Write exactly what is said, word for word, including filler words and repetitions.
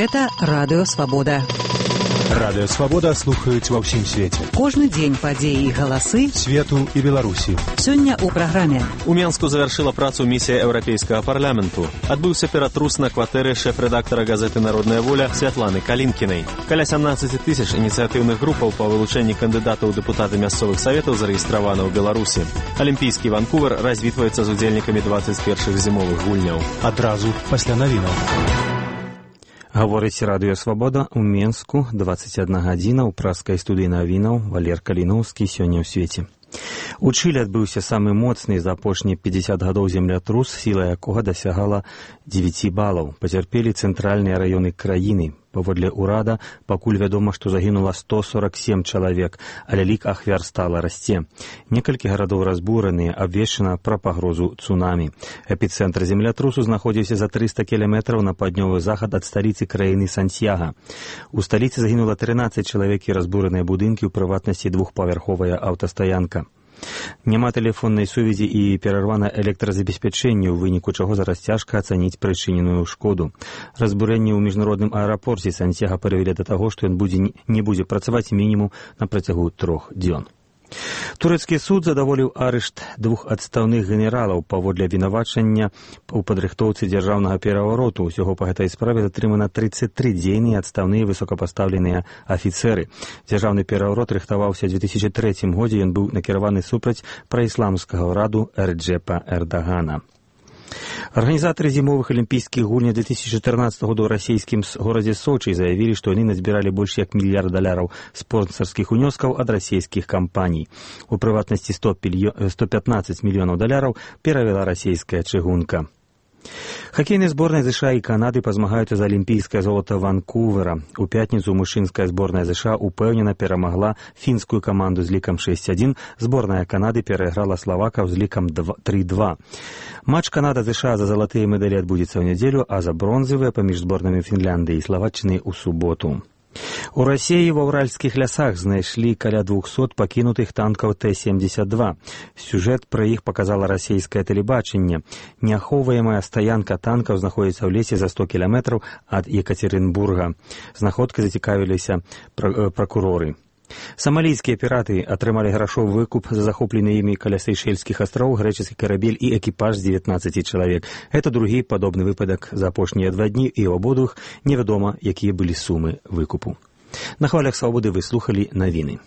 Гэта Радыё Свабода. Радыё Свабода слухаюць ва ўсім свеце. Кожны дзень падзеі і галасы свету і Беларусі. Сёння ў праграме. У Менску завяршыла працу місія Еўрапейскага парламенту. Адбыўся ператрус на кватэры шэф-рэдактара газеты «Народная воля» Святланы Калінкінай. Каля сямнаццаць тысяч ініцыятыўных групаў па вылучэнні кандыдатаў у дэпутаты мясцовых саветаў зарэгістравана ў Беларусі. Алімпійскі Ванкувер развітваецца з удзельнікамі дваццаць першых зімовых гульняў. Адразу пасля навінаў. Гаворыць Радыё Свабода ў Менску, дваццаць адна гадзіна, ў праскай студыі навінаў Валер Каліноўскі сёння ў свеце. У Чылі адбыўся самы моцны за апошнія пятьдесят гадоў землятрус, сіла якога дасягала дзевяць балаў. Пацярпелі цэнтральныя раёны краіны. Паводле ўрада пакуль вядома, што загінула сто сорок семь чалавек, але лік ахвяр стала расце. Некалькі гарадоў разбураныя, абвешчана пра пагрозу цунамі. Эпіцэнтр землятрусу знаходзіўся за трыста кіламетраў на паўднёвы захад ад сталіцы краіны Сантьяга. У сталіцы загінула трынаццаць чалавек і разбураныя будынкі, у прыватнасці двухпавярховая аўтастаянка. Няма тэлефоннай сувязі і перарвана электразабеспячэнне, у выніку чаго зараз цяжка ацаніць прычыненую шкоду. Разбурэнне ў міжнародным аэрапорце Сантьяга прывялі да таго, што ён будзе, не будзе працаваць мінімум на працягу трох дзён. Турэцкі суд задаволіў арышт двух адстаўных генералаў паводле абвінавачання ў падрыхтоўцы дзяржаўнага перавароту. Усяго па гэтай справе затрымана трыццаць тры дзейныя адстаўныя высокапастаўленыя афіцэры. Дзяржаўны пераварот рыхтаваўся ў две тысячи трэцім годзе, ён быў накіраваны супраць праісламскага ўраду Рэджэпа Эрдагана. Арганізатары зімовых алімпійскіх гульняў две тысячи чатырнаццатага года ў расійскім горадзе Сочы заявілі, што яны назбіралі больш як мільярд даляраў спонсарскіх унёскаў ад расійскіх кампаній. У прыватнасці сто пятнадцаць мільёнаў даляраў перавяла расійская чыгунка. Хакейныя зборныя ЗША і Канады пазмагаюцца за алімпійскае золата Ванкувера. У пятніцу мужчынская зборная ЗША упэўнена перамагла фінскую каманду з лікам шэсць адзін, зборная Канады перайграла славакаў з лікам тры два. Матч Канада-ЗША за залатыя медалі адбудзецца ў нядзелю, а за бронзавыя паміж зборнамі Фінляндыі і Славаччыны ў суботу. У Расіі ва ўральскіх лясах знайшлі каля двухсот пакінутых танкаў Т семьдесят два. Сюжэт пра іх показала расійскае тэлебачанне. Неахоўваемая стаянка танкаў знаходзіцца ў лесе за сто кіламетраў ад Екатеринбурга. Знаходкай зацікавіліся пракуроры. Самалійскія піраты атрымалі грашовы выкуп за захоплены імі каля Сейшэльскіх астроў грэчаскі карабель і экіпаж з дзевятнаццаці чалавек. Гэта другі падобны выпадак за апошнія два дні, і ў абодвух невядома, якія былі сумы выкупу. На хвалях Свабоды вы слухалі навіны.